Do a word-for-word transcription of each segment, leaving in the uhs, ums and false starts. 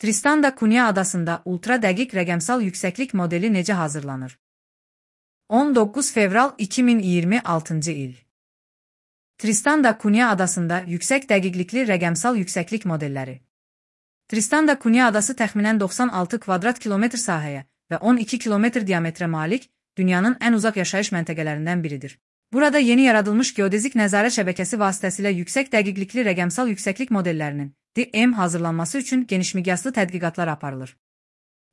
Tristan da Cunha adasında ultra dəqiq rəqəmsal yüksəklik modeli necə hazırlanır? on doqquz fevral iki min iyirmi altıncı il. Tristan da Cunha adasında yüksək dəqiqlikli rəqəmsal yüksəklik modelləri. Tristan da Cunha adası təxminən doxsan altı kvadrat kilometr sahəyə və on iki kilometr diametrə malik dünyanın ən uzaq yaşayış məntəqələrindən biridir. Burada yeni yaradılmış geodezik nəzarət şəbəkəsi vasitəsilə yüksək dəqiqlikli rəqəmsal yüksəklik modellərinin D M hazırlanması üçün genişmiqyaslı tədqiqatlar aparılır.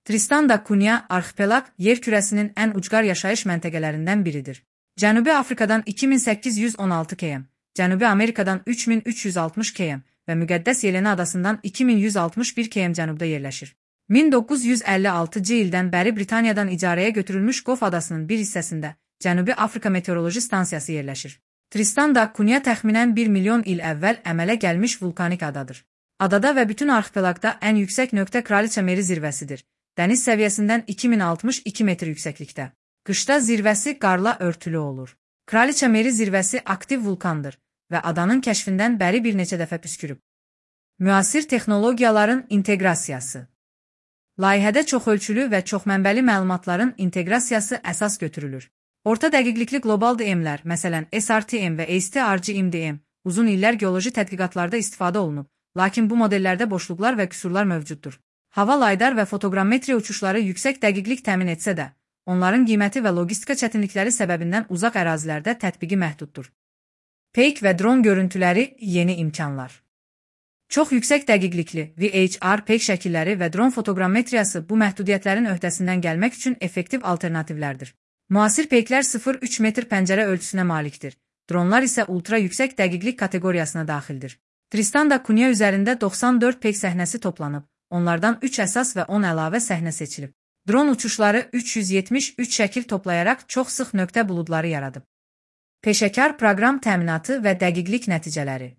Tristan da Cunha arxipelaq yer kürəsinin ən ucqar yaşayış məntəqələrindən biridir. Cənubi Afrikadan iki min səkkiz yüz on altı kilometr, Cənubi Amerikadan üç min üç yüz altmış kilometr və Müqəddəs Yelena adasından iki min yüz altmış bir kilometr cənubda yerləşir. min doqquz yüz əlli altıncı ildən bəri Britaniyadan icarəyə götürülmüş Qof adasının bir hissəsində Cənubi Afrika Meteoroloji Stansiyası yerləşir. Tristan da Cunha təxminən bir milyon il əvvəl əmələ gəlmiş vulkanik adadır. Adada və bütün arxipelaqda ən yüksək nöqtə Kraliça Meri zirvəsidir. Dəniz səviyyəsindən iki min altmış iki metr yüksəklikdə. Qışda zirvəsi qarla örtülü olur. Kraliça Meri zirvəsi aktiv vulkandır və adanın kəşfindən bəri bir neçə dəfə püskürüb. Müasir texnologiyaların inteqrasiyası. Layihədə çoxölçülü və çoxmənbəli məlumatların inteqrasiyası əsas götürülür. Orta dəqiqlikli qlobal D M-lər, məsələn S R T M və A S T R G M D M, uzun illər geoloji tədqiqatlarda istifadə olunub, lakin bu modellərdə boşluqlar və qüsurlar mövcuddur. Hava laydar və fotoqrammetriya uçuşları yüksək dəqiqlik təmin etsə də, onların qiyməti və logistika çətinlikləri səbəbindən uzaq ərazilərdə tətbiqi məhduddur. Peyk və dron görüntüləri yeni imkanlar. Çox yüksək dəqiqlikli V H R peyk şəkilləri və dron fotoqrammetriyası bu məhdudiyyətlərin öhdəsindən gəlmək üçün effektiv alternativlərdir. Müasir peyklər sıfır nöqtə üç metr pəncərə ölçüsünə malikdir. Dronlar isə ultra yüksək dəqiqlik kateqoriyasına daxildir. Tristan da Cunha üzərində doxsan dörd peyk səhnəsi toplanıb, onlardan üç əsas və on əlavə səhnə seçilib. Dron uçuşları üç yüz yetmiş üç şəkil toplayaraq çox sıx nöqtə buludları yaradıb. Peşəkar proqram təminatı və dəqiqlik nəticələri.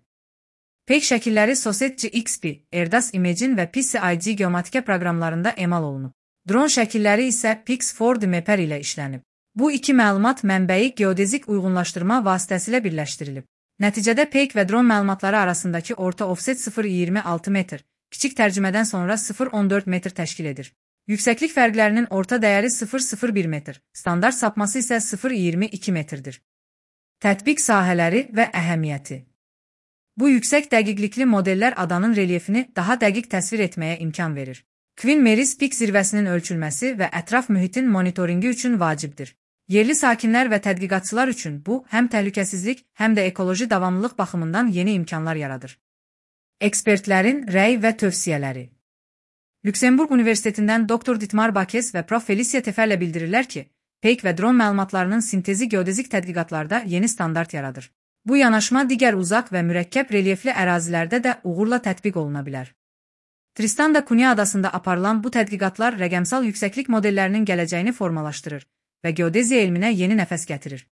Peyk şəkilləri Soset G X P, Erdas Imagine və P C I G geomatika proqramlarında emal olunub. Dron şəkilləri isə Pix four D Mapper ilə işlənib. Bu iki məlumat mənbəyi geodezik uyğunlaşdırma vasitəsilə birləşdirilib. Nəticədə peyk və dron məlumatları arasındakı orta offset sıfır nöqtə iyirmi altı metr, kiçik tərcümədən sonra sıfır nöqtə on dörd metr təşkil edir. Yüksəklik fərqlərinin orta dəyəri sıfır nöqtə sıfır bir metr, standart sapması isə sıfır nöqtə iyirmi iki metrdir. Tətbiq sahələri və əhəmiyyəti. Bu yüksək dəqiqlikli modellər adanın relyefini daha dəqiq təsvir etməyə imkan verir. Queen Mary's Peak zirvəsinin ölçülməsi və ətraf mühitin monitoringi üçün vacibdir. Yerli sakinlər və tədqiqatçılar üçün bu, həm təhlükəsizlik, həm də ekoloji davamlılıq baxımından yeni imkanlar yaradır. Ekspertlərin rəy və tövsiyələri. Lüksemburq Universitetindən doktor Dietmar Bakes və prof Felicia Teferlə bildirirlər ki, peyk və dron məlumatlarının sintezi geodezik tədqiqatlarda yeni standart yaradır. Bu yanaşma digər uzaq və mürəkkəb relyefli ərazilərdə də uğurla tətbiq oluna bilər. Tristan da Cunha adasında aparılan bu tədqiqatlar rəqəmsal yüksəklik modellərinin gələcəyini formalaşdırır və geodeziya elminə yeni nəfəs gətirir.